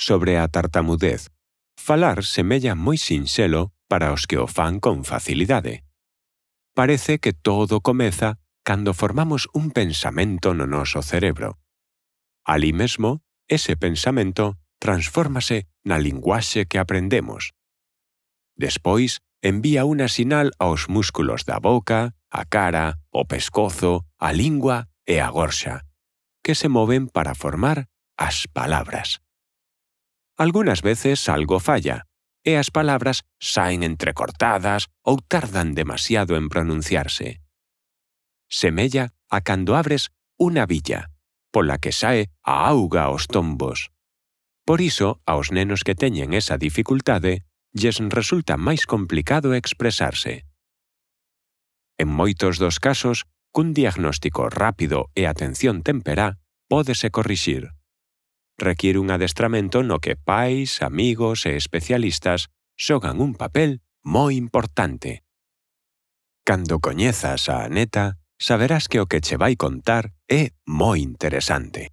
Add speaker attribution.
Speaker 1: sobre a tartamudez. Falar semella moi sinxelo para os que o fan con facilidade. Parece que todo comeza cando formamos un pensamento no noso cerebro. Alí mesmo, ese pensamento transfórmase na linguaxe que aprendemos. Despois, envía unha sinal aos músculos da boca, a cara, o pescozo, a lingua e a gorxa, que se moven para formar as palabras. Algunhas veces algo falla, e as palabras saen entrecortadas ou tardan demasiado en pronunciarse. Semella a cando abres unha billa, pola que sae a auga aos tombos. Por iso, aos nenos que teñen esa dificultade, lles resulta máis complicado expresarse. En moitos dos casos, cun diagnóstico rápido e atención temperá, pódese corrixir. Requiere un adestramento no que pais, amigos e especialistas xogan un papel moi importante. Cando coñezas a neta, saberás que o que che vai contar é moi interesante.